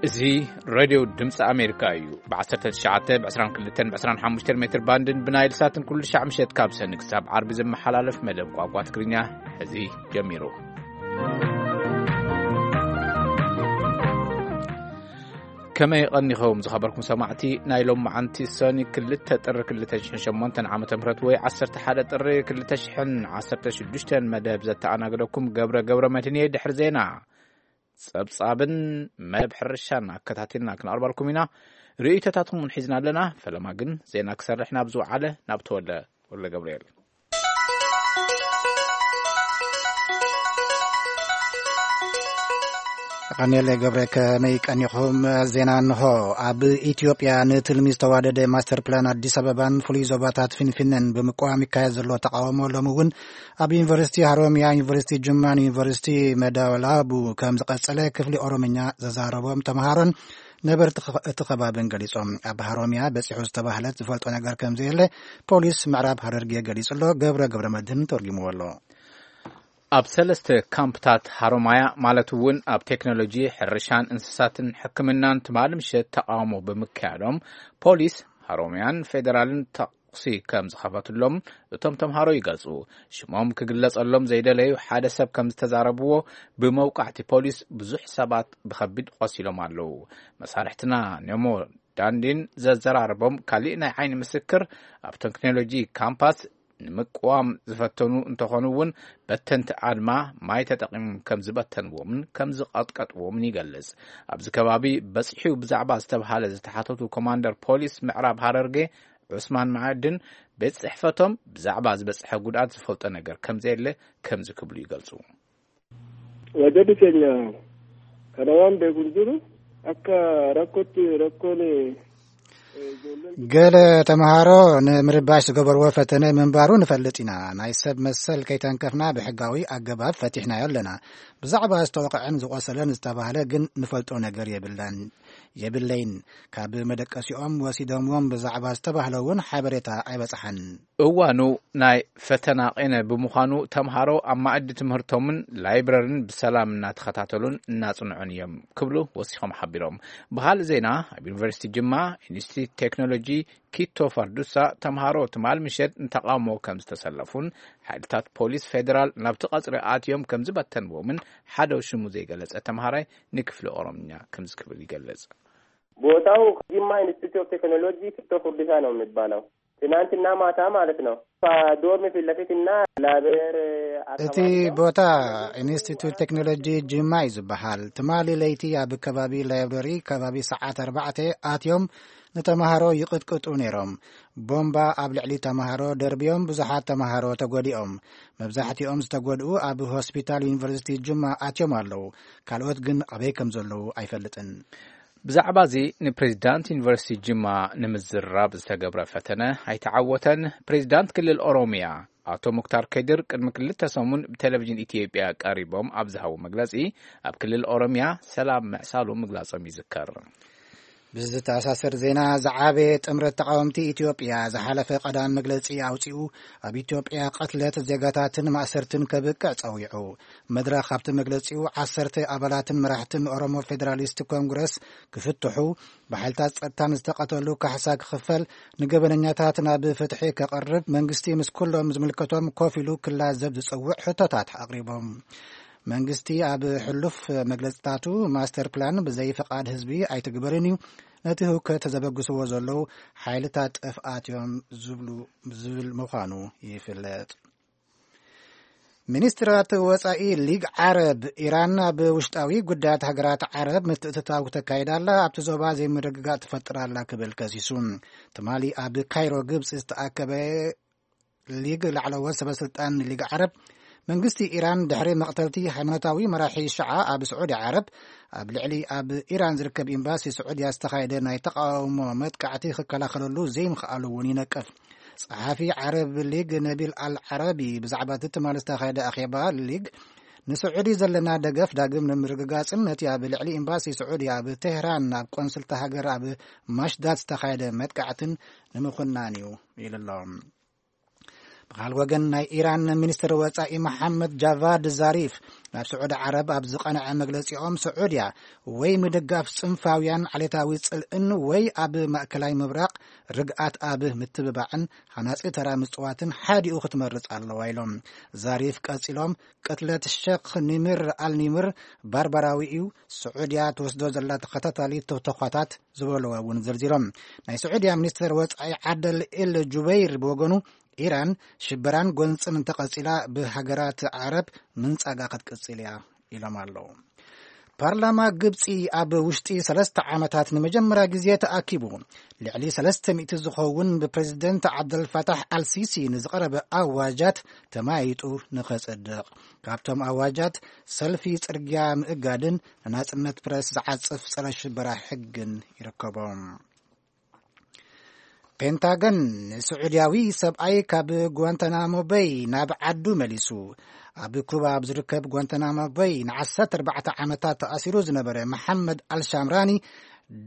እዚ ሬድዮ ድምፂ ኣሜሪካ እዩ። ብ19፣ ብ22፣ ብ25 ሜትር ባንድን ብናይል ሳትን ኩሉ ሻዕ ምሸት ካብ ሰኒ ክሳብ ዓርቢ ዝመሓላለፍ መደብ ቋንቋ ትግርኛ ሕዚ ጀሚሩ። ከመይ ቀኒኹም ዝኸበርኩም ሰማዕቲ? ናይ ሎም መዓንቲ ሰኒ 2 ጥሪ 2008 ዓመተ ምህረት ወይ 11 ጥሪ 2016 መደብ ዘተኣናግደኩም ገብረ ገብረ መድህን እየ። ድሕሪ ዜና ጸብጻብን መደብ ሕርሻን ኣከታቲልና ክንኣርባልኩም ኢና። ርእይቶታትኩም እውን ሒዝና ኣለና። ፈለማ ግን ዜና ክሰርሕ ናብ ዝወዓለ ናብ ተወልደ ወልደ ገብርኤል። ቀኔለ ገብረ፣ ከመይ ቀኒኹም? ዜና እንሆ። ኣብ ኢትዮጵያ ንትልሚ ዝተዋደደ ማስተር ፕላን ኣዲስ ኣበባን ፍሉይ ዞባታት ፊንፊነን ብምቅዋም ይካየድ ዘሎ ተቃውሞ ሎሚ እውን ኣብ ዩኒቨርሲቲ ሃሮሚያ፣ ዩኒቨርሲቲ ጅማን ዩኒቨርሲቲ መዳወላቡ ከም ዝቐጸለ ክፍሊ ኦሮምኛ ዘዛረቦም ተምሃሮን ነበርቲ ኸ-፣ እቲ ከባብን ገሊጾም። ኣብ ሃሮሚያ በጺሑ ዝተባህለት ዝፈልጦ ነገር ከም ዘየለ ፖሊስ ምዕራብ ሃረርጌ ገሊጹ ኣሎ። ገብረ ገብረ መድህን ተርጉምዎ ኣሎ። ኣብ ሰለስተ ካምፕታት ሃሮማያ፣ ማለት እውን ኣብ ቴክኖሎጂ፣ ሕርሻን እንስሳትን ሕክምናን ትማሊ ምሸት ተቃውሞ ብምክያዶም ፖሊስ ሃሮማያን ፌደራልን ተኩሲ ከም ዝኸፈትሎም እቶም ተምሃሮ ይገልጹ። ሽሞም ክግለጸሎም ዘይደለዩ ሓደ ሰብ ከም ዝተዛረብዎ፣ ብመውቃዕቲ ፖሊስ ብዙሕ ሰባት ብኸቢድ ቆሲሎም ኣለዉ። መሳርሕትና ኔሞ ዳንዲን ዘዘራረቦም ካሊእ ናይ ዓይኒ ምስክር፣ ኣብ ቴክኖሎጂ ካምፓስ ንምቅዋም ዝፈተኑ እንተኾኑ እውን፣ በተንቲ ኣድማ ማይ ተጠቒሞም ከም ዝበተንዎምን ከም ዝቐጥቀጥዎምን ይገልጽ። ኣብዚ ከባቢ በጺሑ ብዛዕባ ዝተብሃለ ዝተሓተቱ ኮማንደር ፖሊስ ምዕራብ ሃረርጌ ዑስማን መዓድን፣ ቤት ጽሕፈቶም ብዛዕባ ዝበጽሐ ጉድኣት ዝፈልጦ ነገር ከም ዘየለ ከምዚ ክብሉ ይገልጹ። Wajjirri keenya kana waan beeku hin jiru. Akka rakkootti rakkoon, eh, ijoolleen ገለ ተምሃሮ ንምርባሽ ዝገበርዎ ፈተነ ምንባሩ ንፈልጥ ኢና። ናይ ሰብ መሰል ከይተንከፍና ብሕጋዊ ኣገባብ ፈቲሕናዮ ኣለና። ብዛዕባ ዝተወቕዐን ዝቖሰለን ዝተባህለ ግን ንፈልጦ ነገር የብላን፣ የብለይን። ካብ መደቀሲኦም ወሲዶምዎም ብዛዕባ ዝተባህለ እውን ሓበሬታ ኣይበጽሓን። እዋኑ ናይ ፈተና ቄነ ብምዃኑ፣ ተምሃሮ ኣብ ማእዲ ትምህርቶምን ላይብረርን ብሰላም እናተኸታተሉን እናጽንዑን እዮም ክብሉ ወሲኾም ሓቢሮም። ብኻልእ ዜና፣ ኣብ ዩኒቨርሲቲ ጅማ ኢንስቲትዩት ቴክኖሎጂ ኪቶ ፋርዱሳ ተምሃሮ ትማል ምሸት ንተቓውሞ ከም ዝተሰለፉን፣ ሓይልታት ፖሊስ ፌደራል ናብቲ ቀጽሪ ኣትዮም ከም ዝበተንዎምን ሓደ ሽሙ ዘይገለጸ ተምሃራይ ንክፍሊ ኦሮምኛ ከምዚ ክብል ይገልጽ። ቦታው ጅማ ኢንስቲትዩት ኦፍ ቴክኖሎጂ ኪቶ ፋርዱሳ ነው የሚባለው። ትናንትና ማታ ማለት ነው። ዶርም ፊት ለፊት እና ላይብረሪ እቲ ኣካባቢ ነው። ቦታ ኢንስቲትዩት ቴክኖሎጂ ጅማ እዩ ዝበሃል። ትማሊ ለይቲ ኣብ ከባቢ ላይብረሪ ከባቢ ሰዓት ኣርባዕተ ኣትዮም ንተምሃሮ ይቕጥቅጡ ነይሮም። ቦምባ ኣብ ልዕሊ ተምሃሮ ደርብዮም ብዙሓት ተምሃሮ ተጎዲኦም። መብዛሕትኦም ዝተጎድኡ ኣብ ሆስፒታል ዩኒቨርሲቲ ጅማ ኣትዮም ኣለዉ። ካልኦት ግን ኣበይ ከም ዘለዉ ኣይፈልጥን። ብዛዕባ እዚ ንፕሬዚዳንት ዩኒቨርሲቲ ጅማ ንምዝራብ ዝተገብረ ፈተነ ኣይተዓወተን። ፕሬዚዳንት ክልል ኦሮሚያ ኣቶ ሙክታር ከድር ቅድሚ ክልተ ሰሙን ብቴሌቪዥን ኢትዮጵያ ቀሪቦም ኣብ ዝሃቡ መግለጺ፣ ኣብ ክልል ኦሮሚያ ሰላም ምዕሳሉ ምግላጾም ይዝከር። ብዝተኣሳሰር ዜና፣ ዝዓበየ ጥምረት ተቃወምቲ ኢትዮጵያ ዝሓለፈ ቀዳም መግለጺ ኣውጺኡ፣ ኣብ ኢትዮጵያ ቅትለት ዜጋታትን ማእሰርትን ከብቅዕ ጸዊዑ። መድረኽ ኣብቲ መግለጺኡ፣ ዓሰርተ ኣባላትን መራሕትን ኦሮሞ ፌደራሊስት ኮንግረስ ክፍትሑ፣ ብሓይልታት ጸጥታን ዝተቐተሉ ካሕሳ ክኽፈል፣ ንገበነኛታት ናብ ፍትሒ ከቐርብ፣ መንግስቲ ምስ ኩሎም ዝምልከቶም ኮፍ ኢሉ ክላዘብ ዝጸውዕ ሕቶታት ኣቕሪቦም። መንግስቲ ኣብ ሕሉፍ መግለጽታቱ፣ ማስተር ፕላን ብዘይ ፍቓድ ህዝቢ ኣይትግበርን እዩ፣ ነቲ ህውከት ዘበግስዎ ዘለዉ ሓይልታት ጥፍኣት እዮም ዝብሉ፣ ዝብል ምዃኑ ይፍለጥ። ሚኒስትራት ወጻኢ ሊግ ዓረብ፣ ኢራን ኣብ ውሽጣዊ ጉዳያት ሃገራት ዓረብ ምትእትታው ተካይዳ ኣላ፣ ኣብቲ ዞባ ዘይምርግጋእ ትፈጥር ኣላ ክብል ከሲሱ። ትማሊ ኣብ ካይሮ ግብጺ ዝተኣከበ ሊግ ላዕለዎት ሰበስልጣን ሊግ ዓረብ፣ መንግስቲ ኢራን ድሕሪ መቕተልቲ ሃይማኖታዊ መራሒ ሽዓ ኣብ ስዑዲ ዓረብ፣ ኣብ ልዕሊ ኣብ ኢራን ዝርከብ ኤምባሲ ስዑድያ ዝተኻየደ ናይ ተቃውሞ መጥቃዕቲ ክከላኸለሉ ዘይምኽኣሉ እውን ይነቅፍ። ጸሓፊ ዓረብ ሊግ ነቢል ኣል ዓረቢ ብዛዕባ እቲ ትማሊ ዝተኻየደ ኣኼባ ሊግ፣ ንስዑዲ ዘለና ደገፍ ዳግም ንምርግጋጽን ነቲ ኣብ ልዕሊ ኤምባሲ ስዑዲ ኣብ ቴህራን ኣብ ቆንስልቲ ሃገር ኣብ ማሽዳት ዝተኻየደ መጥቃዕትን ንምኹናን እዩ ኢሉ ኣሎ። ብኻል ወገን ናይ ኢራን ሚኒስትር ወጻኢ መሓመድ ጃቫድ ዛሪፍ ናብ ስዑዲ ዓረብ ኣብ ዝቐንዐ መግለጺኦም፣ ስዑድያ ወይ ምድጋፍ ጽንፋውያን ዓሌታዊ ጽልእን ወይ ኣብ ማእከላይ ምብራቕ ርግኣት ኣብ ምትብባዕን ሃናጺ ተራ ምጽዋትን ሓዲኡ ክትመርጽ ኣለዋ ኢሎም። ዛሪፍ ቀጺሎም፣ ቅትለት ሸኽ ኒምር ኣልኒምር ባርባራዊ እዩ፣ ስዑድያ ትወስዶ ዘላ ተኸታታሊ ተተኳታት ዝበለዎ እውን ዘርዚሮም። ናይ ስዑድያ ሚኒስትር ወጻኢ ዓደል ኤል ጁበይር ብወገኑ፣ ኢራን ሽበራን ጎንጽን እንተቐጺላ ብሃገራት ዓረብ ምንጻጋ ክትቅጽል እያ ኢሎም ኣለዉ። ፓርላማ ግብጺ ኣብ ውሽጢ ሰለስተ ዓመታት ንመጀመርያ ግዜ ተኣኪቡ፣ ልዕሊ ሰለስተ ሚእቲ ዝኸውን ብፕሬዝደንት ዓብደልፋታሕ ኣልሲሲ ንዝቐረበ ኣዋጃት ተማይጡ ንኸጸድቕ፣ ካብቶም ኣዋጃት ሰልፊ ጽርግያ ምእጋድን ንናጽነት ፕረስ ዝዓጽፍ ጸረ ሽበራ ሕግን ይርከቦም። ፔንታገን ንስዑድያዊ ሰብኣይ ካብ ጓንታናሞ በይ ናብ ዓዱ መሊሱ። ኣብ ኩባ ኣብ ዝርከብ ጓንታናሞ በይ ንዓሰርተ ኣርባዕተ ዓመታት ተኣሲሩ ዝነበረ መሓመድ ኣልሻምራኒ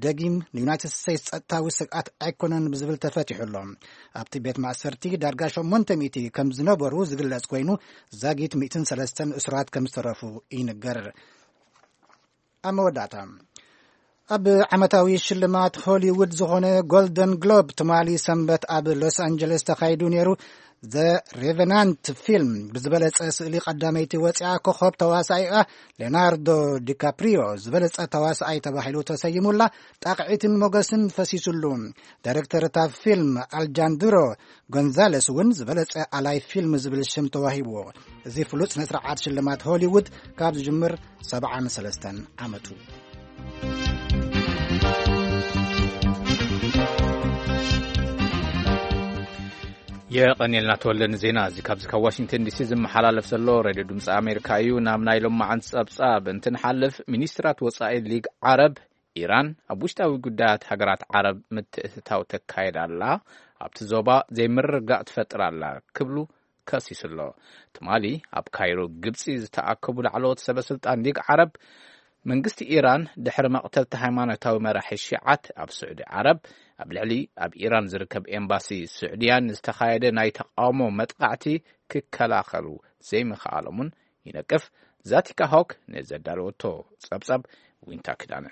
ደጊም ንዩናይትድ ስቴትስ ጸጥታዊ ስግኣት ኣይኮነን ብዝብል ተፈቲሑ ኣሎ። ኣብቲ ቤት ማእሰርቲ ዳርጋ ሸሞንተ ሚእቲ ከም ዝነበሩ ዝግለጽ ኮይኑ፣ ዛጊት ሚእትን ሰለስተን እሱራት ከም ዝተረፉ ይንገር። ኣብ መወዳእታ፣ ኣብ ዓመታዊ ሽልማት ሆሊውድ ዝኾነ ጎልደን ግሎብ ትማሊ ሰንበት ኣብ ሎስ ኣንጀለስ ተኻይዱ ነይሩ። ዘ ሬቨናንት ፊልም ብዝበለጸ ስእሊ ቀዳመይቲ ወፂኣ። ኮኸብ ተዋሳኢኣ ሌናርዶ ዲካፕሪዮ ዝበለጸ ተዋሳኣይ ተባሂሉ ተሰይሙላ። ጣቕዒትን ሞገስን ፈሲሱሉ። ዳይሬክተር እታ ፊልም ኣልጃንድሮ ጎንዛለስ እውን ዝበለጸ ኣላይ ፊልም ዝብል ሽም ተዋሂብዎ። እዚ ፍሉጥ ስነ ስርዓት ሽልማት ሆሊውድ ካብ ዝጅምር ሰብዓን ሰለስተን ዓመቱ። የቐንየልና ተወልደ ንዜና እዚ። ካብዚ ካብ ዋሽንግተን ዲሲ ዝመሓላለፍ ዘሎ ሬድዮ ድምፂ ኣሜሪካ እዩ። ናብ ናይ ሎማዓንቲ ጸብጻብ እንትንሓልፍ፣ ሚኒስትራት ወጻኢ ሊግ ዓረብ፣ ኢራን ኣብ ውሽጣዊ ጉዳያት ሃገራት ዓረብ ምትእትታው ተካይድ ኣላ፣ ኣብቲ ዞባ ዘይምርግጋእ ትፈጥር ኣላ ክብሉ ከሲሱ ኣሎ። ትማሊ ኣብ ካይሮ ግብጺ ዝተኣከቡ ላዕለዎት ሰበ ስልጣን ሊግ ዓረብ፣ መንግስቲ ኢራን ድሕሪ መቕተልቲ ሃይማኖታዊ መራሒ ሺዓት ኣብ ስዑዲ ዓረብ ኣብ ልዕሊ ኣብ ኢራን ዝርከብ ኤምባሲ ስዑድያን ዝተኻየደ ናይ ተቃውሞ መጥቃዕቲ ክከላኸሉ ዘይምኽኣሎምን ይነቅፍ። ዛቲካ ሆክ ነዘዳለወቶ ጸብጻብ ዊንታ ክዳነ።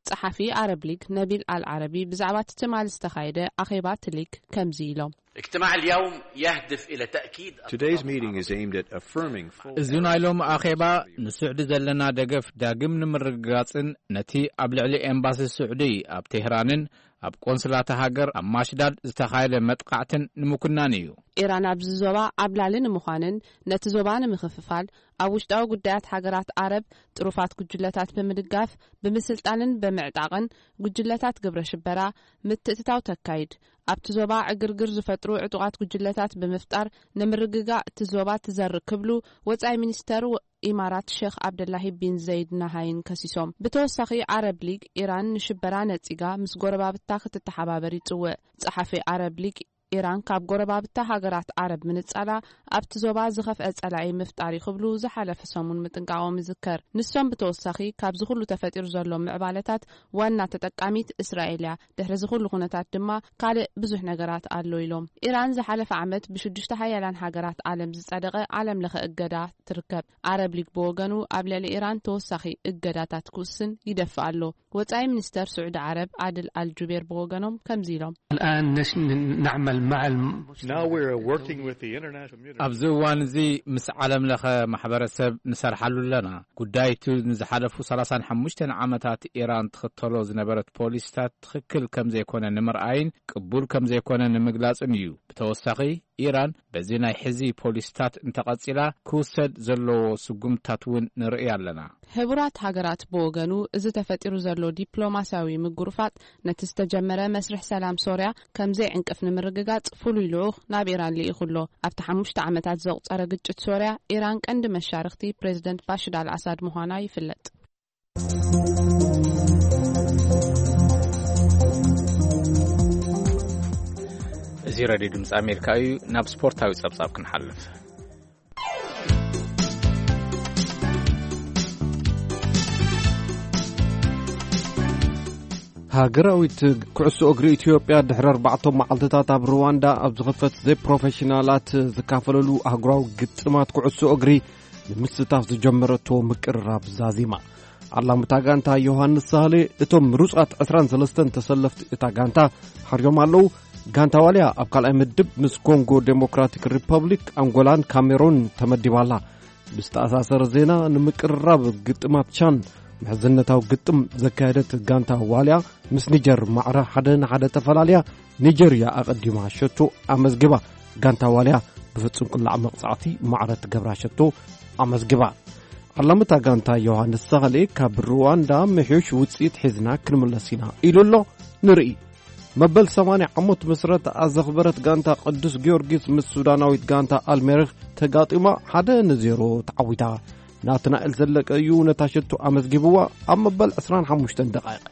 ጸሓፊ ኣረብ ሊግ ነቢል ኣል ዓረቢ ብዛዕባ እቲ ትማሊ ዝተኻየደ ኣኼባ እቲ ሊግ ከምዚ ኢሎም። اجتماع اليوم يهدف إلى تأكيد Today's meeting is aimed at affirming full እዚ ናይ ሎሚ ኣኼባ ንስዑዲ ዘለና ደገፍ ዳግም ንምርግጋጽን ነቲ ኣብ ልዕሊ ኤምባሲ ስዑዲ ኣብ ቴህራንን ኣብ ቆንስላታ ሃገር ኣብ ማሽዳድ ዝተኻየደ መጥቃዕትን ንምኩናን እዩ። ኢራን ኣብዚ ዞባ ዓብላሊ ንምዃንን ነቲ ዞባ ንምኽፍፋል ኣብ ውሽጣዊ ጉዳያት ሃገራት ዓረብ ጥሩፋት ጉጅለታት ብምድጋፍ፣ ብምስልጣንን ብምዕጣቕን ጉጅለታት ግብረ ሽበራ ምትእትታው ተካይድ፣ ኣብቲ ዞባ ዕግርግር ዝፈጥሩ ዕጡቓት ጉጅለታት ብምፍጣር ንምርግጋእ እቲ ዞባ ትዘርእ ክብሉ ወጻኢ ሚኒስተር ወ-፣ ኢማራት ሼኽ ዓብደላሂ ቢን ዘይድ ናሃይን ከሲሶም። ብተወሳኺ ዓረብ ሊግ ኢራን ንሽበራ ነጺጋ ምስ ጎረባብታ ክትተሓባበር ይጽውዕ። ጸሓፊ ዓረብ ሊግ ኢራን ካብ ጎረባብታ ሃገራት ዓረብ ምንጻላ ኣብቲ ዞባ ዝኸፍአ ጸላኢ ምፍጣር እዩ ክብሉ ዝሓለፈ ሰሙን ምጥንቃቖም ይዝከር። ንሶም ብተወሳኺ ካብዚ ኩሉ ተፈጢሩ ዘሎ ምዕባለታት ዋና ተጠቃሚት እስራኤል እያ። ድሕሪ እዚ ኩሉ ኩነታት ድማ ካልእ ብዙሕ ነገራት ኣሎ ኢሎም። ኢራን ዝሓለፈ ዓመት ብሽዱሽተ ሓያላን ሃገራት ዓለም ዝጸደቐ ዓለም ለኸ እገዳ ትርከብ። ዓረብ ሊግ ብወገኑ ኣብ ልዕሊ ኢራን ተወሳኺ እገዳታት ክውስን ይደፍእ ኣሎ። ወጻኢ ሚኒስተር ስዑዲ ዓረብ ዓድል ኣልጁቤር ብወገኖም ከምዚ ኢሎም። الآن نش-، نعمل مع الم-، Now we're working with the international community. ኣብዚ እዋን እዚ ምስ ዓለም ለኸ ማሕበረሰብ ንሰርሓሉ ኣለና። ጉዳይ እቲ ንዝሓለፉ ሰላሳን ሓሙሽተን ዓመታት ኢራን ትኽተሎ ዝነበረት ፖሊሲታት ትኽክል ከም ዘይኮነ ንምርኣይን ቅቡል ከም ዘይኮነ ንምግላጽን እዩ። ብተወሳኺ ኢራን በዚ ናይ ሕዚ ፖሊሲታት እንተቐጺላ ክውሰድ ዘለዎ ስጉምትታት እውን ንርኢ ኣለና። ሕቡራት ሃገራት ብወገኑ፣ እዚ ተፈጢሩ ዘሎ ዲፕሎማስያዊ ምጉርፋጥ ነቲ ዝተጀመረ መስርሕ ሰላም ሶርያ ከም ዘይዕንቅፍ ንምርግጋጽ ፍሉይ ልኡኽ ናብ ኢራን ልኢኹ ኣሎ። ኣብቲ ሓሙሽተ ዓመታት ዘቑጸረ ግጭት ሶርያ፣ ኢራን ቀንዲ መሻርኽቲ ፕሬዝደንት ባሽር ኣልኣሳድ ምዃና ይፍለጥ። እዚ ሬድዮ ድምፂ ኣሜሪካ እዩ። ናብ ስፖርታዊ ጸብጻብ ክንሓልፍ። ሃገራዊት ኩዕሶ እግሪ ኢትዮጵያ ድሕሪ ኣርባዕተ መዓልትታት ኣብ ሩዋንዳ ኣብ ዝኽፈት ዘይፕሮፌሽናላት ዝካፈለሉ ኣህጉራዊ ግጥማት ኩዕሶ እግሪ ንምስታፍ ዝጀመረቶ ምቅርራብ ዛዚማ። ዓላምታ ጋንታ ዮሃንስ ሳህሌ እቶም ምሩጻት ዕስራን ሰለስተን ተሰለፍቲ እታ ጋንታ ሓርዮም ኣለዉ። ጋንታ ዋልያ ኣብ ካልኣይ ምድብ ምስ ኮንጎ ዴሞክራቲክ ሪፐብሊክ፣ ኣንጎላን ካሜሩን ተመዲባ ኣላ። ብዝተኣሳሰረ ዜና፣ ንምቅርራብ ግጥማት ቻን ምሕዝነታዊ ግጥም ዘካየደት ጋንታ ዋልያ ምስ ኒጀር ማዕረ ሓደ ንሓደ ተፈላልያ፣ ኒጀርያ ኣቐዲማ ሸቶ ኣመዝጊባ። ጋንታ ዋልያ ብፍጹም ቅላዕ መቕጻዕቲ ማዕረ ትገብራ ሸቶ ኣመዝጊባ። ዓላምታ ጋንታ ዮሃንስ ሳህሌ ካብ ሩዋንዳ ምሕዩሽ ውጽኢት ሒዝና ክንምለስ ኢና ኢሉ ኣሎ። ንርኢ። መበል ሰማንያ ዓመት ምስረታ ዘኽበረት ጋንታ ቅዱስ ጊዮርጊስ ምስ ሱዳናዊት ጋንታ ኣልሜሪክ ተጋጢማ ሓደ ንዜሮ ተዓዊታ። ናትናኤል ዘለቀ እዩ ነታ ሸቶ ኣመዝጊብዋ ኣብ መበል ዕስራን ሓሙሽተን ደቓይቕ።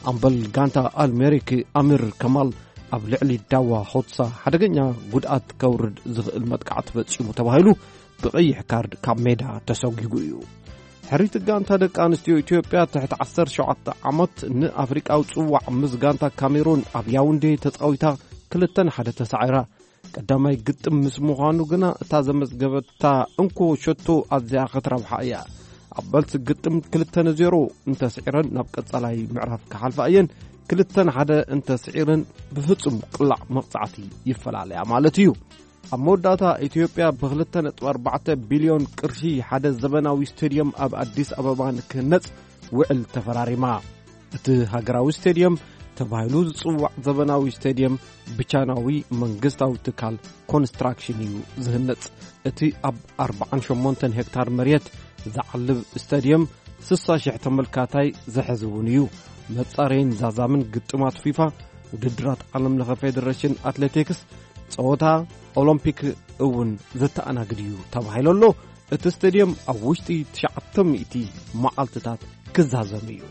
ኣምበል ጋንታ ኣልሜሪክ ኣሚር ከማል ኣብ ልዕሊ ዳዋ ሆትሳ ሓደገኛ ጉድኣት ከውርድ ዝኽእል መጥቃዕቲ ፈጺሙ ተባሂሉ ብቐይሕ ካርድ ካብ ሜዳ ተሰጒጉ እዩ። ሕሪት ጋንታ ደቂ ኣንስትዮ ኢትዮጵያ ትሕቲ ዓሰርተ ሸውዓተ ዓመት ንኣፍሪቃዊ ጽዋዕ ምስ ጋንታ ካሜሩን ኣብ ያውንዴ ተጻዊታ ክልተ ንሓደ ተሳዒራ። ቀዳማይ ግጥም ምስ ምዃኑ ግና እታ ዘመዝገበታ እንኮ ሸቶ ኣዝያ ክትረብሓ እያ። ኣብ መልሲ ግጥም ክልተ ንዜሮ እንተስዒረን ናብ ቀጻላይ ምዕራፍ ክሓልፋ እየን። ክልተ ንሓደ እንተስዒረን ብፍጹም ቅላዕ መቕጻዕቲ ይፈላለያ ማለት እዩ። ኣብ መወዳእታ ኢትዮጵያ ብክልተ ነጥቢ ኣርባዕተ ቢልዮን ቅርሺ ሓደ ዘበናዊ ስቴድየም ኣብ ኣዲስ ኣበባ ንክህነጽ ውዕል ተፈራሪማ። እቲ ሃገራዊ ስቴድየም ተባሂሉ ዝጽዋዕ ዘበናዊ ስቴድየም ብቻይናዊ መንግስታዊ ትካል ኮንስትራክሽን እዩ ዝህነጽ። እቲ ኣብ ኣርባዓን ሸሞንተን ሄክታር መሬት ዝዓልብ ስታድየም ስሳ ሽሕ ተመልካታይ ዝሕዝ እውን እዩ። መጻረይን ዛዛምን ግጥማት ፊፋ፣ ውድድራት ዓለም ለኸ ፌደሬሽን ኣትሌቲክስ፣ ጸወታ ኦሎምፒክ እውን ዘተኣናግድ እዩ ተባሂሉ ኣሎ። እቲ ስቴድየም ኣብ ውሽጢ ትሽዓተ ሚእቲ መዓልትታት ክዛዘም እዩ።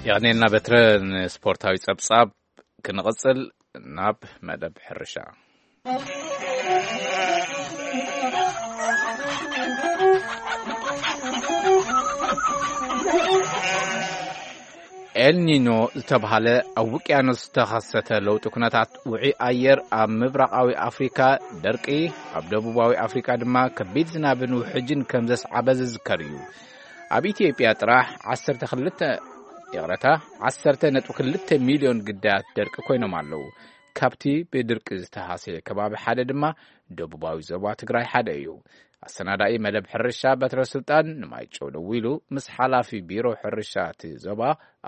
የቐንየልና በትረ። ንስፖርታዊ ጸብጻብ ክንቕጽል ናብ መደብ ሕርሻ። ኤልኒኖ ዝተብሃለ ኣብ ውቅያኖስ ዝተኸሰተ ለውጢ ኩነታት ውዑይ ኣየር ኣብ ምብራቓዊ ኣፍሪካ ደርቂ፣ ኣብ ደቡባዊ ኣፍሪካ ድማ ከቢድ ዝናብን ውሕጅን ከም ዘስዓበ ዝዝከር እዩ። ኣብ ኢትዮጵያ ጥራሕ ዓሰርተ ክልተ፣ ይቕረታ፣ ዓሰርተ ነጥቢ ክልተ ሚልዮን ግዳያት ደርቂ ኮይኖም ኣለዉ። ካብቲ ብድርቂ ዝተሃሰየ ከባቢ ሓደ ድማ ደቡባዊ ዞባ ትግራይ ሓደ እዩ። ኣሰናዳኢ መደብ ሕርሻ በትረ ስልጣን ንማይጨው ደዊሉ ምስ ሓላፊ ቢሮ ሕርሻ እቲ ዞባ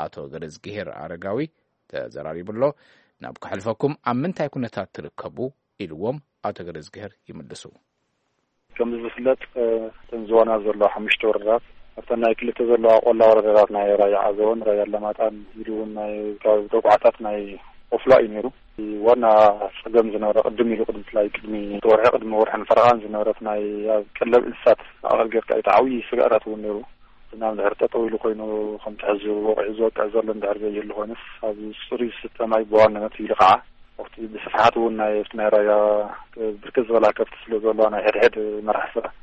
ኣቶ ገረዝግሄር ኣረጋዊ ተዘራሪቡ ኣሎ። ናብ ከሕልፈኩም፣ ኣብ ምንታይ ኩነታት ትርከቡ ኢልዎም ኣቶ ገረዝግሄር ይምልሱ። ከም ዝፍለጥ፣ እ፣ እተን ዝዋና ዘለዋ ሓሙሽተ ወረዳታት፣ ኣብተን ናይ ክልተ ዘለዋ ቆላ ወረዳታት ናይ ራያ ዓዘቦን ራያ ኣላማጣን ኢሉ እውን ናይ ከባቢ ተቋዓታት ናይ ቆፍላ እዩ ነይሩ። እቲ ዋና ጸገም ዝነበረ ቅድም ኢሉ፣ ቅድሚ፣ ብፍላይ ቅድሚ ወርሒ፣ ቅድሚ ወርሕን ፈረቓን ዝነበረት ናይ ኣብ ቀለብ እንስሳት ማእኸል ጌርካ እዩ። እቲ ዓብዪ ስግኣታት እውን ነይሩ። ዝናብ እንድሕር ጠጠው ኢሉ ኮይኑ፣ ከምቲ ሕዚ ወቂዑ ዝወቅዕ ዘሎ እንድሕር ዘይህሉ ኮይኑስ፣ ኣብ ጽሩይ ዝስተ ማይ ብዋናነት ኢሉ ከዓ ኣብቲ ብስፍሓት እውን ናይ፣ ኣብቲ ናይ ራያ ብርክት ዝበላ ከብቲ ስለ ዘለዋ፣ ናይ ሕድሕድ መራሕቲ ስራሕ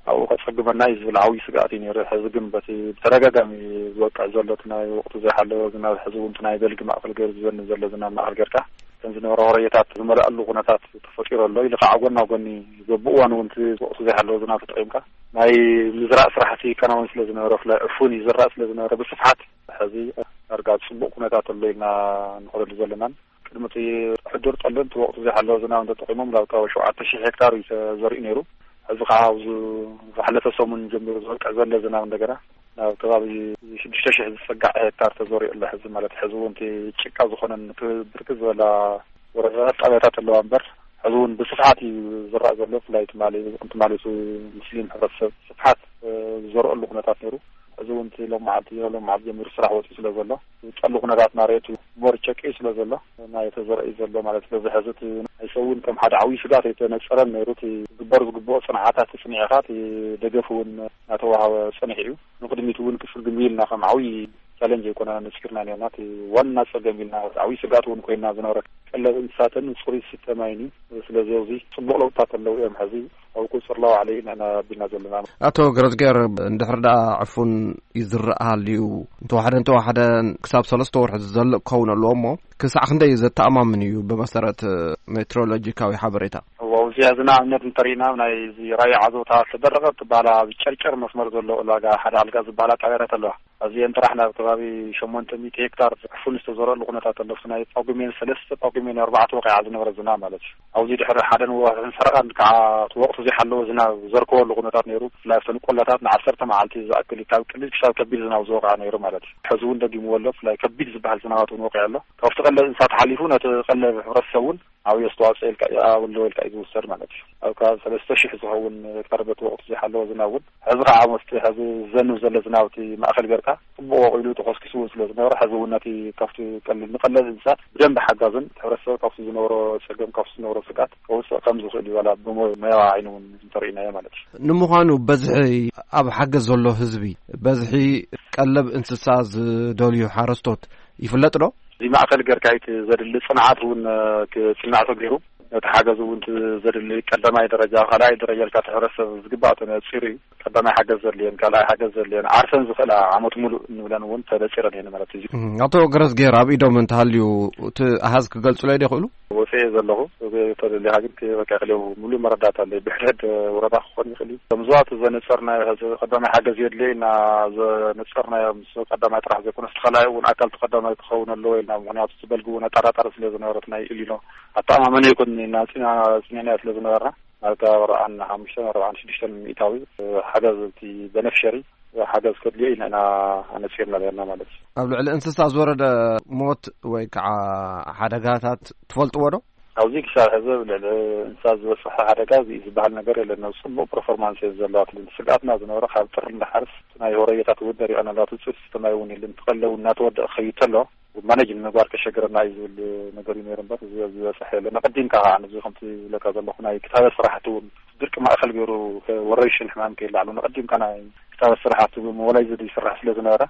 ኣብኡ ከጸግመና እዩ ዝብል ዓብዪ ስግኣት እዩ ነይሩ። ሕዚ ግን በቲ ብተደጋጋሚ ዝወቅዕ ዘሎ፣ እቲ ናይ ወቅቱ ዘይሓለወ ዝናብ፣ ሕዚ እውን እቲ ናይ በልጊ ማእከል ገይሩ ዝዘንብ ዘሎ ዝናብ ማእከል ጌርካ፣ እተን ዝነበራ ወረየታት ዝመልኣሉ ኩነታት ተፈጢሩ ኣሎ። ኢሉ ከዓ ጎና ጎኒ በብእዋኑ እውን እቲ ወቅቱ ዘይሓለወ ዝናብ ተጠቒምካ ናይ ምዝራእ ስራሕቲ ይከናወን ስለ ዝነበረ፣ ብፍላይ ዕፉን ይዝራእ ስለ ዝነበረ ብስፍሓት፣ ሕዚ ዳርጋ ኣብ ጽቡቕ ኩነታት ኣሎ ኢልና ንኸደሉ ዘለናን፣ ቅድሚ እቲ ሕዱር ጠልን እቲ ወቕቲ ዘይሓለወ ዝናብ እንተጠቒሞም ናብ ከባቢ ሸውዓተ ሺሕ ሄክታር እዩ ተዘሪኡ ነይሩ። ሕዚ ከዓ ኣብዚ ዝሓለፈ ሰሙን ጀሚሩ ዝወቅዕ ዘሎ ዝናብ እንደገና ናብ ከባቢ ሽዱሽተ ሺሕ ዝጸጋዕ ሄክታር ተዘሪኡ ኣሎ። ሕዚ ማለት ሕዚ እውን እቲ ጭቃ ዝኾነን ብርክት ዝበላ ወረዳታት ጣብያታት ኣለዋ እምበር፣ ሕዚ እውን ብስፍሓት እዩ ዝረኣ ዘሎ። ብፍላይ ትማሊ፣ ትማሊ እቲ ሙስሊም ሕብረተሰብ ስፍሓት፣ እ፣ ዝዘርአሉ ኩነታት ነይሩ። ሕዚ እውን እቲ ሎም መዓልቲ፣ ሎም መዓልቲ ጀሚሩ ስራሕ ወፂኡ ስለ ዘሎ፣ ጠሊ ኩነታት እናረኣየ እቲ ሞር ጨቂዩ ስለ ዘሎ፣ ናይ ተዘርአ ዘሎ ማለት፣ ስለዚ ሕዚ እቲ ናይ ሰብ እውን ከም ሓደ ዓብዪ ስግኣት ኣይተነፀረን ነይሩ። እቲ ክግበር ዝግብኦ ፅንዓታት ተፅኒዕኻ፣ እቲ ደገፍ እውን እናተዋሃበ ፀኒሑ እዩ። ንቕድሚት እውን ክስግም ኢልና ከም ዓብዪ ቻለንጅ ኣይኮነና ነፂርና ነርና። እቲ ዋና ፀገም ኢልና፣ ዓብዪ ስግኣት እውን ኮይና ዝነበረ ቀለብ እንስሳትን ፅሩይ ዝስተ ማይን እዩ። ስለዚ ኣብዚ ፅቡቕ ለውጥታት ኣለዉ እዮም። ሕዚ ኣብ ቁፅሪ ብርላው ዓሊ ኢና ኣቢልና ዘለና። ኣቶ ገረዝጌር፣ እንድሕር ደኣ ዕፉን ይዝረእ ሃልዩ፣ እንተወሓደ እንተወሓደ ክሳብ ሰለስተ ወርሒ ዝዘልቕ ክኸውን ኣለዎ እሞ፣ ክሳዕ ክንደይ ዘተኣማምን እዩ ብመሰረት ሜትሮሎጂካዊ ሓበሬታ? እዎ፣ ኣብዚ ሕዚ ንኣብነት እንተሪእና፣ ናይ እዚ ራያ ዓዘውታ ዝተደረቐ ትበሃላ ኣብ ጨርጨር መስመር ዘሎ ዕላጋ ሓደ ኣልጋ ዝበሃላ ጣብያታት ኣለዋ። ኣብዚአን ጥራሕ ናብ ከባቢ ሸሞንተ ሚእቲ ሄክታር ዕፉን ዝተዘረሉ ኩነታት ኣሎ። ናይ ጳጉሜን ሰለስተ፣ ጳጉሜን ኣርባዕተ ወቂዓ ዝነበረ ዝናብ ማለት እዩ። ኣብዚ ድሕሪ ሓደን ወርሕን ፈረቓን ከዓ እቲ ወቕቲ ዘይሓለወ ዝናብ ዘርከበሉ ኩነታት ነይሩ። ብፍላይ ኣብተን ቆላታት ንዓሰርተ መዓልቲ ዝኣክል ካብ ቀሊል ክሳብ ከቢድ ዝናብ ዝወቕዐ ነይሩ ማለት እዩ። ሕዚ እውን ደጊምዎ ኣሎ። ብፍላይ ከቢድ ዝበሃል ዝናባት እውን ወቂዑ ኣሎ። ካብቲ ቀለብ እንስሳት ሓሊፉ ነቲ ቀለብ ሕብረተሰብ እውን ዓብዪ ኣስተዋፅኦ ኢልካ፣ ኣለዎ ኢልካ እዩ ዝውሰድ ማለት እዩ። ኣብ ከባቢ ሰለስተ ሽሕ ዝኸውን ሄክታር በቲ ወቕቱ ዘይሓለወ ዝናብ እውን፣ ሕዚ ከዓ መስቲ ሕዚ ዝዘንብ ዘሎ ዝናብ እቲ ማእኸል ጌርካ፣ ጽቡቕ ወቒሉ ተኾስኪሱ እውን ስለ ዝነበረ፣ ሕዚ እውን ነቲ ካብቲ ቀሊል፣ ንቀለብ እንስሳት ብደንቢ ሓጋዝን፣ እቲ ሕብረተሰብ ካብቲ ዝነበሮ ጸገም፣ ካብቲ ዝነበሮ ስግኣት ከውፅእ ከም ዝኽእል እዩ፣ ዋላ ብሞያዊ ዓይኒ እውን እንተርኢናዮ ማለት እዩ። ንምዃኑ በዝሒ ኣብ ሓገዝ ዘሎ ህዝቢ፣ በዝሒ ቀለብ እንስሳ ዝደልዩ ሓረስቶት ይፍለጥ ዶ? እዚ ማእኸል ጌርካ እቲ ዘድሊ ጽንዓት እውን፣ እ፣ ክጽናዕ ተገይሩ፣ ነቲ ሓገዝ እውን እቲ ዘድሊ ቀዳማይ ደረጃ፣ ካልኣይ ደረጃ ኢልካ እቲ ሕብረተሰብ ዝግባእ ተነጺሩ እዩ። ቀዳማይ ሓገዝ ዘድልየን፣ ካልኣይ ሓገዝ ዘድልየን፣ ዓርሰን ዝኽእላ ዓመት ሙሉእ እንብለን እውን ተነጺረን እየን ማለት እዩ። እም፣ ኣቶ ገረዝጌር፣ ኣብ ኢዶም እንተሃልዩ እቲ ኣሃዝ ክገልጹለይ ዶ ይኽእሉ? ወፂኤ ዘለኹ፣ ተደሊኻ ግን ክ-፣ በቃ ክልው ሙሉእ መረዳእታ ኣለይ። ብሕድሕድ ወረዳ ክኾን ይኽእል እዩ። ከም ዞባ እቲ ዘነጸርናዮ፣ ሕዚ ቀዳማይ ሓገዝ የድልዮ ኢልና ዘነጸርናዮ ምስ ቀዳማይ ጥራሕ ዘይኮነስ፣ እቲ ካልኣይ እውን ኣካል እቲ ቀዳማይ ክኸውን ኣለዎ ኢልና፣ ምኽንያቱ እቲ በልጊ እውን ኣጠራጣሪ ስለ ዝነበረ፣ እቲ ናይ ኢሊኖ ኣተኣማመኒ ኣይኮንን ኢልና ኣጽኒዕና፣ ኣጽኒዕናዮ ስለ ዝነበርና፣ ናብ ኣርባዓን ሓሙሽተን ኣርባዓን ሽዱሽተን ሚእታዊ ሓገዝ እቲ በነፍሸሪ ሓገዝ ከድልዮ ኢና ኢና ኣነጺርና ነርና ማለት እዩ። ኣብ ልዕሊ እንስሳ ዝወረደ ሞት ወይ ከዓ ሓደጋታት ትፈልጥዎ ዶ? ኣብዚ ክሳብ ሕዚ ኣብ ልዕሊ እንስሳ ዝበፅሐ ሓደጋ እዚ ዝበሃል ነገር የለን። ናብ ፅቡቕ ፐርፎርማንስ እየን ዘለዋ። እቲ ስግኣትና ዝነበረ ካብ ጥሪ እንዳሓርስ ናይ ሆረየታት እውን ደሪቐን ኣለዋ። እቲ ውፅኢት ዝስተ ማይ እውን የለን። እቲ ቀለብ እውን እናተወደአ ክኸይድ ተሎ ማኔጅ ንምግባር ከሸግረና እዩ ዝብል ነገር እዩ ነይሩ እምበር፣ እዚ ዝበፅሐ የለን። ኣቐዲምካ ከዓ ነዚ ከምቲ ዝብለካ ዘለኹ ናይ ክታበት ስራሕቲ እውን ድርቂ ማእኸል ገይሩ ወረርሽን ሕማም ከይላዕሉ ነቐዲምካ ናይ ክታበት ስራሕቲ ብሞባላይዝድ ይስራሕ ስለ ዝነበረ፣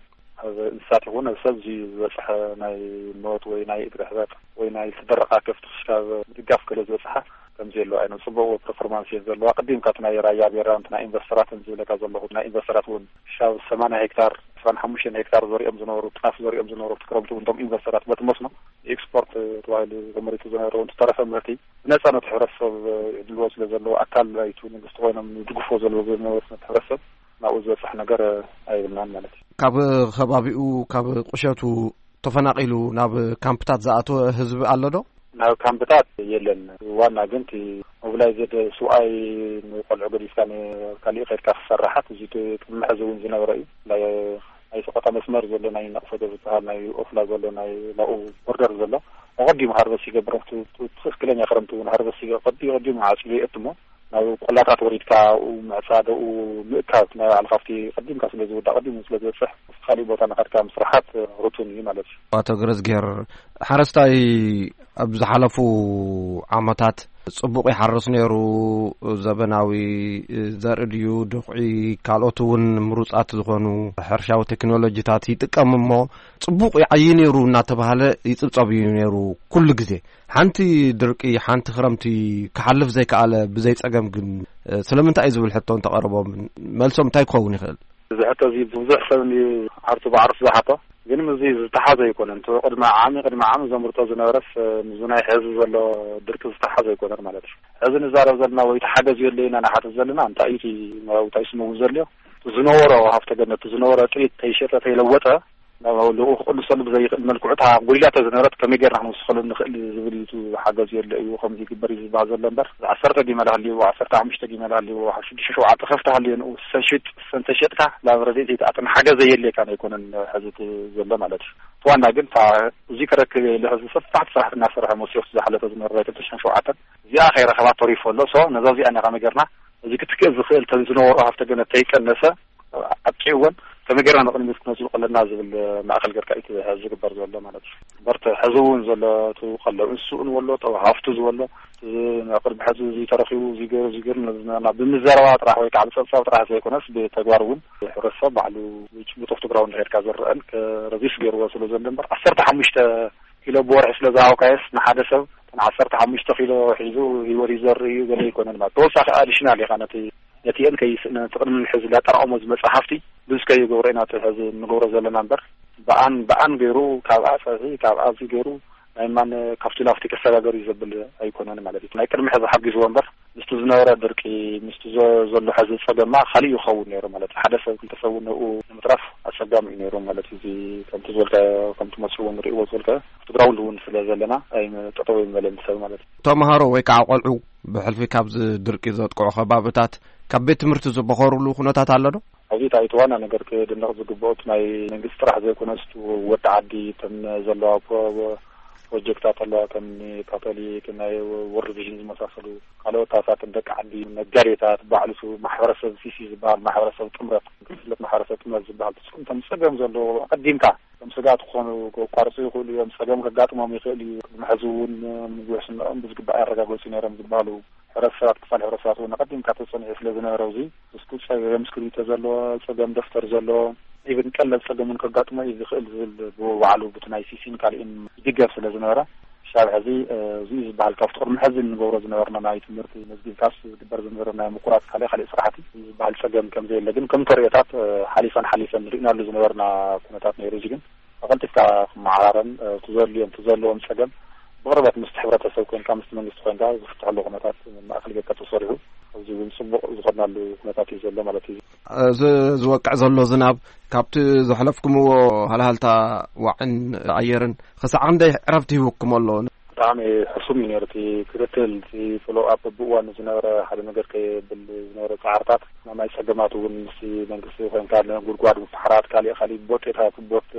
ኣብ እንስሳት ይኹን ኣብ ሰብ እዚ ዝበፅሐ ናይ ሞት ወይ ናይ እግሪ ሕበጥ ወይ ናይ ዝተደረቓ ከፍቲ ክስካብ ምድጋፍ ገለ ዝበፅሓ ከምዚ የለዋ። ኣይነ ፅቡቕ ፐርፎርማንስ እየን ዘለዋ። ቅዲምካ እቲ ናይ ራያ ቤራ፣ እቲ ናይ ኢንቨስተራት ዝብለካ ዘለኹ፣ ናይ ኢንቨስተራት እውን ክሳብ ሰማንያ ሄክታር፣ ዕስራን ሓሙሽተን ሄክታር ዘሪኦም ዝነበሩ፣ ጣፍ ዘሪኦም ዝነበሩ፣ እቲ ክረምቲ እውን እቶም ኢንቨስተራት በቲ መስኖ ኤክስፖርት ተባሂሉ ተመሪቱ ዝነበረ እውን ዝተረፈ ምህርቲ ብነፃ ነቲ ሕብረተሰብ ይዕድልዎ ስለ ዘለዉ፣ ኣካል ናይቲ መንግስቲ ኮይኖም ይድግፍዎ ዘለዉ ዝነበሩ ነቲ ሕብረተሰብ ናብኡ ዝበፅሕ ነገር ኣይብልናን ማለት እዩ። ካብ ከባቢኡ፣ ካብ ቁሸቱ ተፈናቒሉ ናብ ካምፕታት ዝኣተወ ህዝቢ ኣሎ ዶ? ናብ ካምፕታት የለን። ዋና ግን እቲ ሞቢላይዝድ ስውኣይ ንቆልዑ ገዲፍካ ንካሊእ ከድካ ክሰራሓት፣ እዚ ቅድሚ ሕዚ እውን ዝነበረ እዩ። ናይ፣ ናይ ሰቆጣ መስመር ዘሎ ናይ ነቕፈዶ ዝበሃል ናይ ኦፍላ ዘሎ ናይ ናብኡ ቦርደር ዘሎ ኣቐዲሙ ሃርቨስት ይገብር። እቲ፣ እቲ ትኽክለኛ ክረምቲ እውን ሃርቨስት ይገ-፣ ቀዲ-፣ ቀዲሙ ዓፅዩ የእትሞ። ናብ ቆላታት ወሪድካ ኣብኡ ምዕፃድ፣ ኣብኡ ምእካብ፣ ናይ ባዕልኻ ኣብቲ ቀዲምካ ስለ ዝውዳእ፣ ቀዲሙ ስለ ዝበፅሕ፣ ኣብቲ ካሊእ ቦታ ንኸድካ ምስራሓት ርቱን እዩ ማለት እዩ። ኣቶ ገረዝጌር፣ ሓረስታይ ኣብ ዝሓለፉ ዓመታት ጽቡቕ ይሓርስ ነይሩ፣ ዘበናዊ ዘርኢ ድዩ፣ ድኹዒ፣ ካልኦት እውን ምሩጻት ዝኾኑ ሕርሻዊ ቴክኖሎጂታት ይጥቀም እሞ፣ ጽቡቕ ይዓዪ ነይሩ እናተባህለ ይጽብጸብ እዩ ነይሩ ኩሉ ግዜ። ሓንቲ ድርቂ፣ ሓንቲ ክረምቲ ክሓልፍ ዘይከኣለ ብዘይ ጸገም ግን፣ እ፣ ስለምንታይ እዩ ዝብል ሕቶ እንተቐረቦም፣ መልሶም እንታይ ክኸውን ይኽእል? እዚ ሕቶ እዚ ብዙሕ ሰብ እንድዩ ዓርሱ ብዓርሱ ዝሓቶ፣ ግን ምስዚ ዝተሓዘ ኣይኮነን። እቲ ቅድሚ ዓሚ፣ ቅድሚ ዓሚ ዘምርቶ ዝነበረስ፣ እ፣ ምስዚ ናይ ሕዚ ዘሎ ድርቂ ዝተሓዘ ኣይኮነን ማለት እዩ። ሕዚ ንዛረብ ዘለና ወይ ተሓገዝ የለ ኢና ንሓትት ዘለና፣ እንታይ እዩ እቲ፣ እንታይ እዩ ስሙ እውን ዘልዮ? ዝነበሮ ሃፍተ ገነት፣ ዝነበሮ ጥሪት ተይሸጠ፣ ተይለወጠ፣ ናብ ልኡኽ ክቕንሰሉ ብዘይኽእል መልክዑ፣ እታ ጎዲላቶ ዝነበረት ከመይ ጌርና ክንውስኸሉ ንኽእል ዝብል እዩ። እቲ ሓገዝ የለ እዩ፣ ከምዚ ይግበር እዩ ዝበሃል ዘሎ እምበር፣ ዓሰርተ ጊመል ሃልይዎ፣ ዓሰርተ ሓሙሽተ ጊመል ሃልይዎ፣ ሽዱሽተ ሸውዓተ ከፍቲ ሃልዮ ንኡ ሰሽጥ፣ ሰንተ ሸጥካ ናብ ረድኤት ዘይትኣትን ሓገዝ የድልየካን ኣይኮነን ሕዚ እቲ ዘሎ ማለት እዩ። እቲ ዋና ግን እታ እዚ ክረክብ የለ ሕዚ ሰፋሕቲ ስራሕቲ እናሰርሐ መሲዮስ ዝሓለፈ ዝነበረ ናይ ክልተ ሽሕን ሸውዓተን እዚኣ ከይረኸባ ተሪፎ ኣሎ። ሶ ነዛ እዚኣ ኢና ከመይ ጌርና እዚ ክትክእል ዝኽእል ተን ዝነበሮ ሃፍተ ገነት ተይቀነሰ ኣጥቂዕወን ከመይ ጌርና ንቕድሚት ክነዝልቆ ኣለና ዝብል ማእከል ጌርካ እዩ ዝግበር ዘሎ ማለት እዩ። እምበር እቲ ሕዚ እውን ዘሎ እቲ ቀለብ እንስስኡ ንበሎ፣ እቲ ሃፍቱ ዝበሎ፣ እዚ ኣብ ቅድሚ ሕዚ እዚ ተረኺቡ፣ እዚ ገይሩ፣ እዚ ገይሩ፣ ነዚ ና-፣ ና-፣ ብምዘረባ ጥራሕ ወይ ከዓ ብፀብፃብ ጥራሕ ዘይኮነስ ብተግባር እውን ሕብረተሰብ ባዕሉ ጭቡጥ ኦፍ ግራውንድ እንድሕር ካ ዝረአን ከ-፣ ረዚስ ገይርዎ ስለ ዘሎ እምበር ዓሰርተ ሓሙሽተ ኪሎ ብወርሒ ስለ ዝሃብካዮስ ንሓደ ሰብ ዓሰርተ ሓሙሽተ ኪሎ ሒዙ ህይወት ይዘርእ እዩ ገለ ኣይኮነን ማለት። ተወሳኺ ኣዲሽናል ኢኻ ነቲ፣ ነቲ እን ከይስ-፣ ነቲ ቅድሚ ሕዚ ላጠራቐሞ ዝመጽእ ሃፍቲ ብዙ ከይገብሮ ኢና እቲ ሕዚ እንገብሮ ዘለና እምበር፣ ብኣን፣ ብኣን ገይሩ፣ ካብኣ ጸብሒ፣ ካብኣ እዚ ገይሩ ናይ ማን ካብቲ ላፍቲ ከሰጋገር እዩ ዘብል ኣይኮነን ማለት እዩ። ናይ ቅድሚ ሕዚ ሓጊዝዎ እምበር ምስቲ ዝነበረ ድርቂ፣ ምስቲ ዘ-፣ ዘሎ ሕዚ ጸገማ ካልእ ይኸውን ነይሩ ማለት እዩ። ሓደ ሰብ ክልተ ሰብ እውን ንኡ ንምትራፍ ኣጸጋሚ እዩ ነይሩ ማለት እዩ። እዚ ከምቲ ዝበልካዮ፣ ከምቲ መጽኡ እውን ርእይዎ ዝበልካዮ፣ ኣብቲ ግራውንድ እውን ስለ ዘለና ኣይመ-፣ ጠጠው ኣይመለን ሰብ ማለት እዩ። ተምሃሮ ወይ ከዓ ቆልዑ ብሕልፊ ካብዚ ድርቂ ዘጥቅዑ ከባብታት ካብ ቤት ትምህርቲ ዝበኸሩሉ ኩነታት ኣሎ ዶ? ኣብዚ እቲ ዋና ነገር ክድነቕ ዝግብኦ እቲ ናይ መንግስቲ ጥራሕ ዘይኮነስ፣ እቲ ወዲ ዓዲ፣ እተን ዘለዋ ፕሮ-፣ ፕሮጀክታት ኣለዋ፣ ከም ካቶሊክ፣ ናይ ወርልድ ቪዥን ዝመሳሰሉ ካልኦት ኣሳትን ደቂ ዓዲ፣ ነጋዴታት፣ ባዕሉ እቲ ማሕበረሰብ ሲሲ ዝበሃል ማሕበረሰብ ጥምረት፣ ክፍለት ማሕበረሰብ ጥምረት ዝበሃል፣ እቶም ጸገም ዘለዎ ኣቐዲምካ ከም ስጋት ክኾኑ፣ ከቋርጹ ይኽእሉ እዮም። ጸገም ከጋጥሞም ይኽእል እዩ። ቅድሚ ሕዚ እውን ምግቢ ሕስንኦም ብዝግባእ ኣረጋገጹ ነይሮም ዝበሃሉ ሕብረተሰባት፣ ክፋል ሕብረተሰባት እውን ኣቐዲምካ ተጸኒዑ ስለ ዝነበረ፣ እዚ እስኩ ጸገም እስክሪብቶ ዘለዎ፣ ጸገም ደፍተር ዘለዎ፣ ኢቭን ቀለል ጸገም እውን ከጋጥሞ እዩ ዝኽእል ዝብል ብባዕሉ ብቲ ናይ ሲሲን ካልእን ይድገፍ ስለ ዝነበረ፣ ክሳብ ሕዚ፣ እ፣ እዚ እዩ ዝበሃል ካብቲ ቅድሚ ሕዚ እንገብሮ ዝነበርና ናይ ትምህርቲ መዝጊብካስ ዝግበር ዝነበረ ናይ ምቁራጽ ካልእ ካልእ ስራሕቲ ዝበሃል ጸገም ከም ዘየለ ግን ከም ተርእዮታት፣ እ፣ ሓሊፈን ሓሊፈን ርኢናሉ ዝነበርና ኩነታት ነይሩ። እዚ ግን ኣቐልጢፍካ ክመዓራረን፣ እ፣ ክዘልዮም፣ ክዘለዎም ጸገም ብቕርበት ምስቲ ሕብረተሰብ ኮንካ፣ ምስቲ መንግስቲ ኮንካ ዝፍትሐሉ ኩነታት ማእከል ጌርካ ተሰሪሑ፣ ኣብዚ እውን ጽቡቕ ዝኸድናሉ ኩነታት እዩ ዘሎ ማለት እዩ። እዚ ዝወቅዕ ዘሎ ዝናብ ካብቲ ዘሕለፍኩምዎ ሃልሃልታ ዋዕን ኣየርን ክሳዕ ክንደይ ዕረፍቲ ሂቡኩም ኣሎ? ብጣዕሚ ሕሱም እዩ ነይሩ እቲ ክትትል፣ እቲ ፎሎ ኣፕ ብእዋኑ ዝነበረ ሓደ ነገር ከየብል ዝነበረ ጻዕርታት፣ ናይ ማይ ጸገማት እውን ምስቲ መንግስቲ ኮንካ፣ ጉድጓድ ምፍሓራት፣ ካሊእ ካሊእ ቦቴታት፣ ቦት፣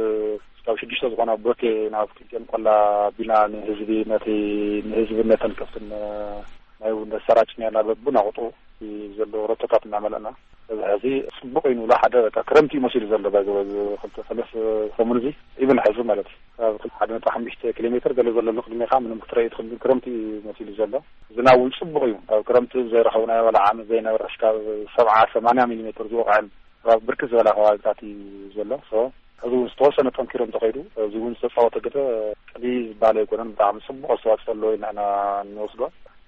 ካብ ሽዱሽተ ዝኾና ቦቴ ናብ ክልቲኦም ቆላ ኣቢልና ንህዝቢ፣ ነቲ ንህዝቢ ነተን ከብትን ማይ እውን ነሰራጭ ነርና። በብናቑጡ ዘሎ ረቶታት እናመለእና፣ እዚ ሕዚ ጽቡቕ እዩ ንብሎ። ሓደ በቃ ክረምቲ እዩ መሲሉ ዘሎ። ባይ ዘ-፣ ክልተ ሰለስተ ሰሙን እዚ ኢቭን ሕዚ ማለት እዩ። ካብ ሓደ ነጥቢ ሓሙሽተ ኪሎ ሜትር ገለ ዘሎ ኣሎ ቅድሜኻ ምንም ክትረኢ ትኽእል፣ ግን ክረምቲ እዩ መሲሉ ዘሎ። ዝናብ እውን ጽቡቕ እዩ። ኣብ ክረምቲ ዘይረኸብናዮ ዋላ ዓመት ዘይነበረ ክሻብ ሰብዓ ሰማንያ ሚሊ ሜትር ዝወቕዐን ኣብ ብርክት ዝበላ ከባቢታት እዩ ዘሎ። ሶ፣ ሕዚ እውን ዝተወሰነ ጠንኪሩ እንተኸይዱ፣ እዚ እውን ዝተፃወተ ግደ ቀሊል ዝበሃል ኣይኮነን። ብጣዕሚ ፅቡቕ ኣስተዋፅኦ ኣለዎ ኢልና ኢና እንወስዶ።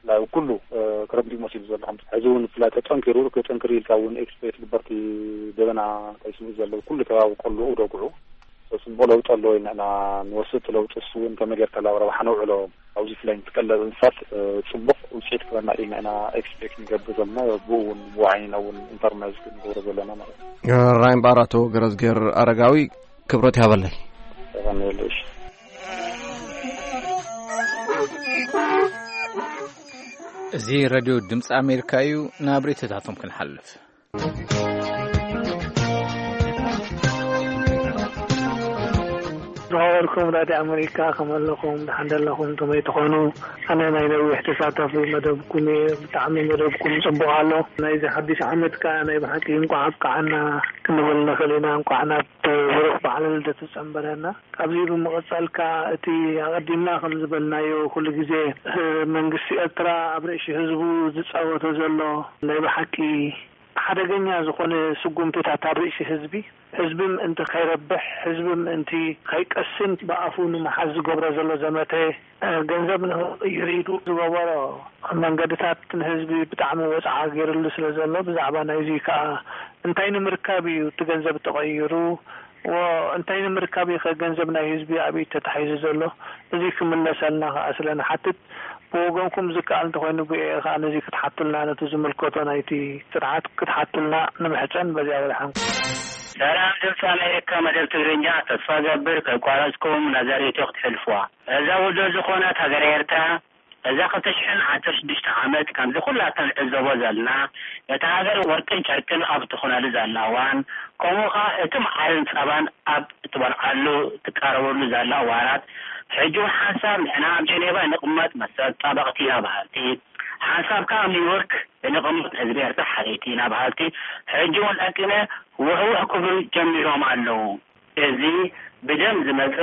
ብፍላይ ኩሉ፣ እ፣ ክረምቲ መሲሉ ዘሎ ከምዚ ሕዚ እውን ብፍላይ ተጠንኪሩ፣ ክጥንክር ኢልካ እውን ኤክስፔክት ግበርቲ ደበና ከይስምዑ ዘለዉ ኩሉ ከባቢ ቆልዑ ደጉዑ። ሶ፣ ፅቡቕ ለውጢ ኣለዎ ኢልና ኢና እንወስድ። እቲ ለውጢ እሱ እውን ከመይ ጌርካ ናብ ረብሓ ነውዕሎ። ኣብዚ ፍላይ ንትቀለብ እንስሳት፣ እ፣ ጽቡቕ ውጽኢት ክበና ኢና፣ ኢና ኤክስፔክት ንገብር ዘለና። ብኡ እውን ብኡ ዓይንና እውን ኢንተርናይዝ ክንገብሮ ዘለና ማለት እዩ። ራይምባር ኣቶ ገረዝጌር ኣረጋዊ፣ ክብረት ይሃበለይ። የቐንየለይ። እዚ ሬድዮ ድምፂ ኣሜሪካ እዩ። ናብ ርእይቶታቶም ክንሓልፍ። ዝኸበርኩም ራድዮ ኣመሪካ፣ ከመይ ኣለኹም? ደሓን ደለኹም? ከመይ ትኾኑ? ኣነ ናይ ነዊሕ ተሳታፊ መደብኩም እየ። ብጣዕሚ መደብኩም ጽቡቕ ኣሎ። ናይዚ ሓድሽ ዓመት ከኣ ናይ ብሓቂ እንቋዕ ኣብቅዓና ክንብል ንኽእል ኢና። እንቋዕ ናብ ብሩኽ በዓለ ልደት ጸንበረና። ካብዚ ብምቕጻል ከኣ እቲ ኣቐዲምና ከም ዝበልናዮ ኩሉ ግዜ፣ እ፣ መንግስቲ ኤርትራ ኣብ ርእሲ ህዝቡ ዝጻወቶ ዘሎ ናይ ብሓቂ ሓደገኛ ዝኾነ ስጉምትታት ኣብ ርእሲ ህዝቢ፣ ህዝቢ ምእንቲ ከይረብሕ፣ ህዝቢ ምእንቲ ከይቀስን ብኣፉ ንምሓዝ ዝገብሮ ዘሎ ዘመተ፣ እ፣ ገንዘብ ንኽቕይር ኢሉ ዝገበሮ መንገድታት ንህዝቢ ብጣዕሚ ወጽዓ ገይርሉ ስለ ዘሎ፣ ብዛዕባ ናይዚ ከኣ እንታይ ንምርካብ እዩ እቲ ገንዘብ ተቐይሩ? ወ-፣ እንታይ ንምርካብ እዩ ከ ገንዘብ ናይ ህዝቢ ኣብ ኢድ ተታሒዙ ዘሎ? እዚ ክምለሰልና ከኣ ስለ ንሓትት፣ ብወገንኩም ዝከኣል እንተኾይኑ ብኤ ከኣ ነዚ ክትሓቱልና፣ ነቲ ዝምልከቶ ናይቲ ስርዓት ክትሓቱልና ንምሕጸን በዚኣ ወደሓንኩም። ሰላም ድምፂ ኣሜሪካ መደብ ትግርኛ፣ ተስፋ ገብር ከይቋረፅኩም ነዛ ሬድዮ ክትሕልፍዋ። እዛ ውዱእ ዝኾነት ሃገረ ኤርትራ፣ እዛ ክልተ ሽሕን ዓሰርተ ሽዱሽተ ዓመት ከምዚ ኩላትና ንዕዘቦ ዘለና፣ ነታ ሃገር ወርቅን ጨርቅን ኣብ ትኾነሉ ዘላ እዋን፣ ከምኡ ኸዓ እቲ መዓርን ጸባን ኣብ እትበልዓሉ ትቃረበሉ ዘላ እዋናት፣ ሕጂ እውን ሓንሳብ ንሕና ኣብ ጀኔቫ ንቕመጥ መሰል ጠበቕቲ ኢና በሃልቲ፣ ሓንሳብ ከኣ ኣብ ኒውዮርክ ንቕመጥ ህዝቢ ኤርትራ ሓለይቲ ኢና በሃልቲ፣ ሕጂ እውን ለንቅነ ውሕውሕ ክብሉ ጀሚሮም ኣለዉ። እዚ ብደም ዝመጸ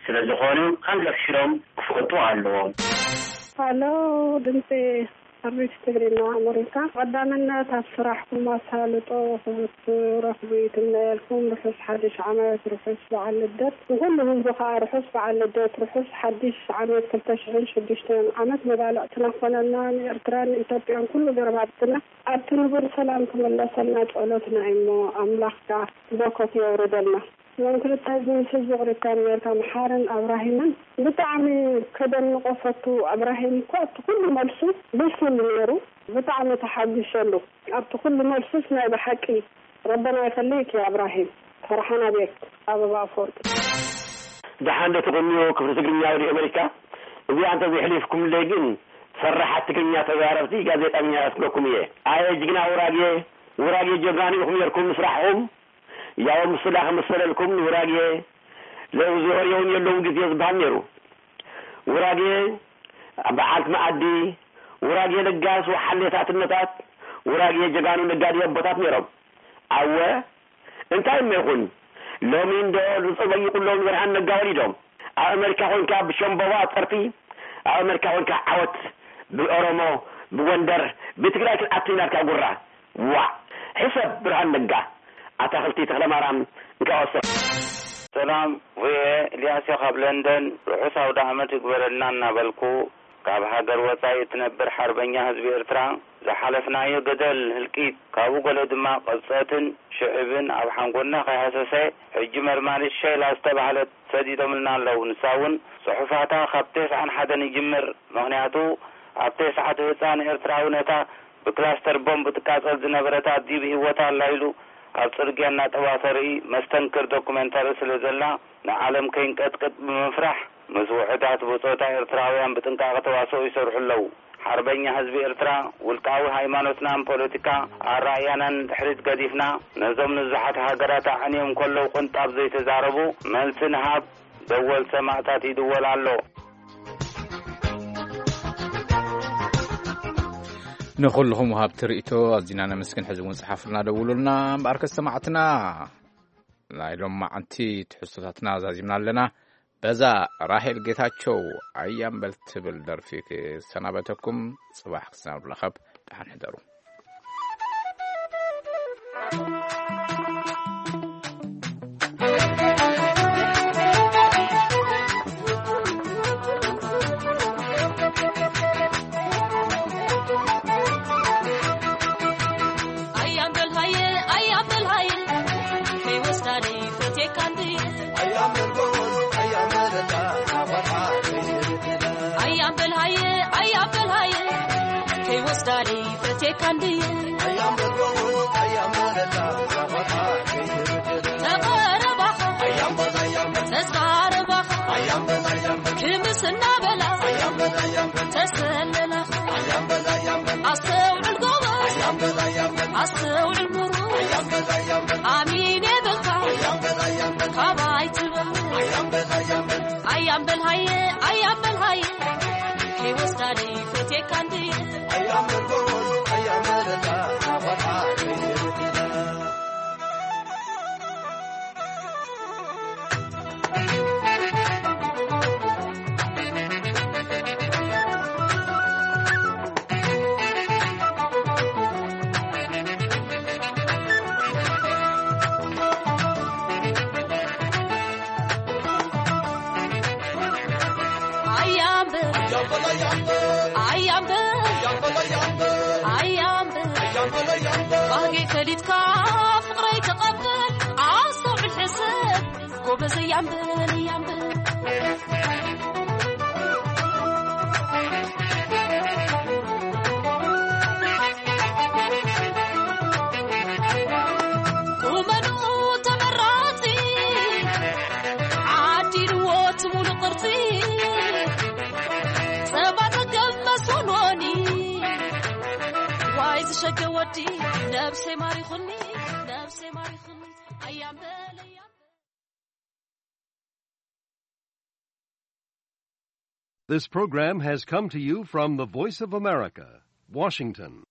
ስለ ዝኾኑ፣ ከም ዘፍሽሮም ክፈልጡ ኣለዎም። ሃሎ፣ ድምፂ ኣቤት ትግርኛ ኣመሪካ። ቀዳምነት ኣብ ስራሕኩም ኣሳልጦ ክትረኽቡ ይትምነየልኩም። ርሑስ ሓድሽ ዓመት፣ ርሑስ በዓል ልደት። ንኹሉ ህዝቢ ከዓ ርሑስ በዓል ልደት፣ ርሑስ ሓድሽ ዓመት ክልተ ሽሕን ሽዱሽተን ዓመት መባልዕትና ክኾነልና፣ ንኤርትራን ንኢትዮጵያን ኩሉ ጎረባብትና ኣብቲ ንቡር ሰላም ክምለሰልና ጸሎትና እሞ ኣምላኽ ከዓ በረከቱ የውርደልና። እዞም ክልተ እዚ ምስ ህዝቢ ክሪስታን ኣሜሪካ መሓርን ኣብራሂምን ብጣዕሚ ከደንቆ ፈቱ። ኣብራሂም እኮ ኣብቲ ኩሉ መልሱ ብሱል ነይሩ። ብጣዕሚ ተሓጒሰሉ ኣብቲ ኩሉ መልሱስ። ናይ ብሓቂ ረበና ይኸልይክ ያ ኣብራሂም። ፈርሓና ቤክ፣ ኣበባ ኣፈወርቂ። ደሓን ዶ ትቕንዩ ክፍሊ ትግርኛ ሬድዮ ኣሜሪካ? እዚኣ እንተዘይሕሊፍኩምለይ ግን ፈራሓት ትግርኛ ተዛረብቲ ጋዜጠኛ ያስብለኩም እየ። ኣየ ጅግና ውራጌ፣ ውራጌ ጀጋኑ ኢኹም ነርኩም ምስራሕኹም። ያው ምስላ ከመሰለልኩም ውራጌ ለውዝ ወሬውን የለውም ግዜ ዝበሃል ነይሩ። ውራጌ በዓልቲ መኣዲ፣ ውራጌ ለጋስ ወሓሌታት እነታት፣ ውራጌ ጀጋኑ ነጋዲ ኣቦታት ነይሮም። ኣወ እንታይ እሞ ይኹን ሎሚ እንዶ ዝጸበይቁሎም ብርሃን ነጋ ወሊዶም። ኣብ ኣመሪካ ኮንካ ብሸምበባ ጸርፊ፣ ኣብ ኣመሪካ ኮንካ ዓወት ብኦሮሞ፣ ብጎንደር፣ ብትግራይ ክንኣቱ ኢና ኢልካ ጉራ። ዋእ ሕሰብ ብርሃን ነጋ ኣታኽልቲ ተኽለማርያም እንካወሰ። ሰላም ቪኦኤ፣ ኢልያስ እየ ካብ ለንደን። ርሑስ ኣውደኣመት ይግበረልና እናበልኩ፣ ካብ ሃገር ወጻኢ እትነብር ሓርበኛ ህዝቢ ኤርትራ፣ ዝሓለፍናዮ ገደል ህልቂት፣ ካብኡ ገለ ድማ ቅብጸትን ሽዕብን ኣብ ሓንጎልና ከይሃሰሰ፣ ሕጂ መርማሪት ሸይላ ዝተባህለት ሰዲዶምልና ኣለዉ። ንሳ እውን ጽሑፋታ ካብ ተስዓን ሓደን ይጅምር። ምኽንያቱ ኣብ ተስዓቱ ህጻን ኤርትራዊ ነታ ብክላስተር ቦምብ ትቃጸል ዝነበረት ኣዲ ብህይወታ ኣላ ኢሉ ኣብ ጽርግያ እናጠባ ተርኢ መስተንክር ዶኩመንታሪ ስለ ዘላ ንዓለም ከይንቀጥቅጥ ብምፍራሕ ምስ ውሑዳት ብጾታ ኤርትራውያን ብጥንቃቐ ተዋስኦ ይሰርሑ ኣለዉ። ሓርበኛ ህዝቢ ኤርትራ ውልቃዊ ሃይማኖትናን ፖለቲካ ኣራእያናን ንድሕሪት ገዲፍና ነዞም ንዙሓት ሃገራት ኣዕንዮም ከለዉ ቅንጣብ ዘይተዛረቡ መልሲ ንሃብ ደወል ሰማእታት ይድወል ኣሎ። ንኹልኹም ወሃብቲ ርእይቶ ኣዚና ነመስግን። ሕዚ እውን ጽሓፉልና ደውሉልና። እምበኣር ከሰማዕትና ናይ ሎማዓንቲ ትሕዝቶታትና ዛዚምና ኣለና። በዛ ራሄል ጌታቸው ኣያምበል ትብል ደርፊ ክሰናበተኩም። ጽባሕ ክሳብ ንራኸብ ደሓን ሕደሩ። This program has come to you from the Voice of America, Washington.